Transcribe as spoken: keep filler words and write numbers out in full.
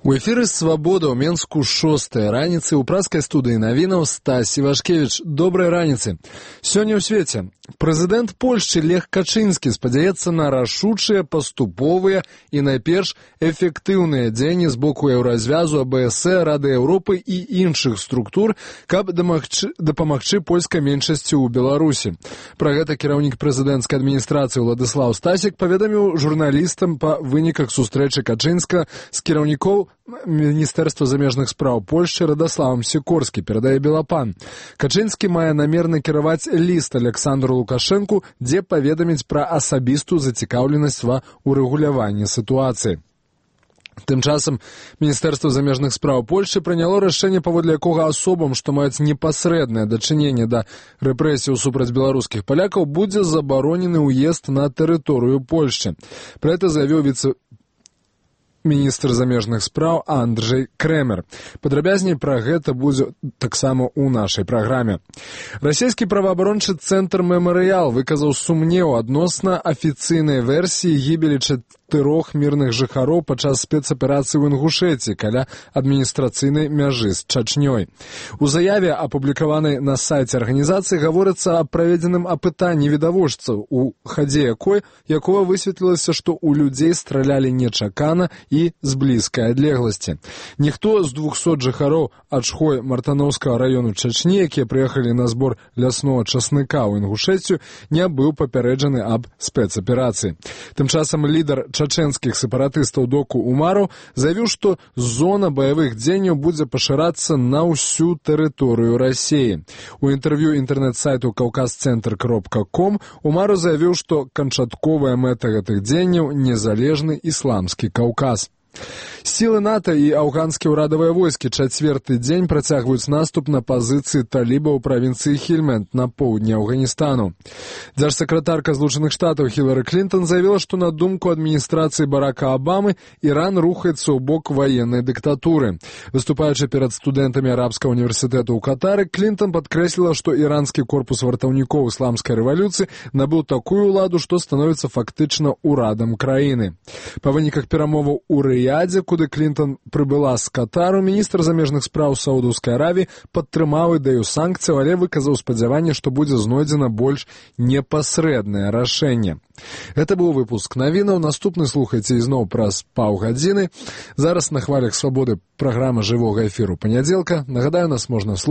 У эфіры «Свабода» ў Менску шостая раніцы ў праскай студыі навінаў Стась Івашкевіч. Добрай раніцы. Сёння ў свеце прэзідэнт Польшчы Лех Качынскі спадзяецца на рашучыя, паступовыя і найперш эфектыўныя дзеянні з боку еўразвязу, АБС, Рады Еўропы і іншых структур, каб дамагчы, дапамагчы польскай меншасці ў Беларусі. Пра гэта кіраўнік прэзідэнцкай адміністрацыі Уладыслаў Стасік паведаміў журналістам па выніках сустрэчы Качынска з кіраўнікоў Міністэрства замежных спраў Польшчы Радаславам Сікорскі, перадае Белапан. Качынскі мае намер накіраваць ліст Александру Лукашэнку, дзе паведаміць пра асабістую зацікаўленасць ва ўрэгуляванні сітуацыі. Тым часам Міністэрства замежных спраў Польшчы прыняло рашэнне, паводле якога асобам, што маюць непасрэднае дачыненне да рэпрэсіяў супраць беларускіх палякаў, будзе забаронены ўезд на тэрыторыю Польшчы. Пра гэта заявіў віцэ міністр замежных спраў Андрэй Крэмер. Падрабязней пра гэта будзе таксама ў нашай праграме. Расійскі праваабарончы цэнтр «Мемарыял» выказаў сумнеў адносна афіцыйнай версіі гібелі чатырох мірных жыхароў падчас спецаперацыі ў Інгушэці каля адміністрацыйнай мяжы з Чачнёй. У заяве, апублікаванай на сайце арганізацыі, гаворыцца аб праведзеным апытанні відавочцаў, у хадзе якой якога высветлілася, што ў людзей стралялі нечакана і з блізкай адлегласці. Ніхто з двухсот жыхароў Ачхой Мартановскага раёну Чачні, якія прыехалі на збор ляснога часныка ў Інгушэцію, не быў папярэджаны аб спецаперацыі. Тым часам лідар чачэнскіх сепаратыстаў Доку Умараў заявіў, што зона баявых дзеянняў будзе пашырацца на ўсю тэрыторыю Расіі. У інтэрв'ю інтэрнэт-сайту каўказцэнтр кропка ком Умараў заявіў, што канчатковая мэта гэтых дзеянняў незалежны ісламскі Каўказ. Сілы НАТО і афганскія ўрадавыя войскі чацвёрты дзень працягваюць наступ на пазіцыі талібаў у правінцыі Хельманд на поўдні Афганістана. Дзяржсакратарка Злучаных Штатаў Хілары Клінтон заявіла, што на думку адміністрацыі Барака Абамы Іран рухаецца ў бок ваеннай дыктатуры. Выступаючы перад студэнтамі арабскага універсітэту ў Катары, Клінтон падкрэсліла, што іранскі корпус вартаўнікоў ісламскай рэвалюцыі набыў такую ўладу, што становіцца фактычна ўрадам краіны. Па выніках перамоваў у Рыядзе, куды Клінтон прыбыла з Катару, міністр замежных спраў Саудаўскай Аравіі падтрымаў ідэю санкцыяў, але выказаў спадзяванне, што будзе знойдзена больш непасрэднае рашэнне. Гэта быў выпуск навінаў. Наступны слухайце ізноў праз паўгадзіны. Зараз на хвалях свабоды праграма жывога эфіру панядзелка. Нагадаю, нас можна слухаць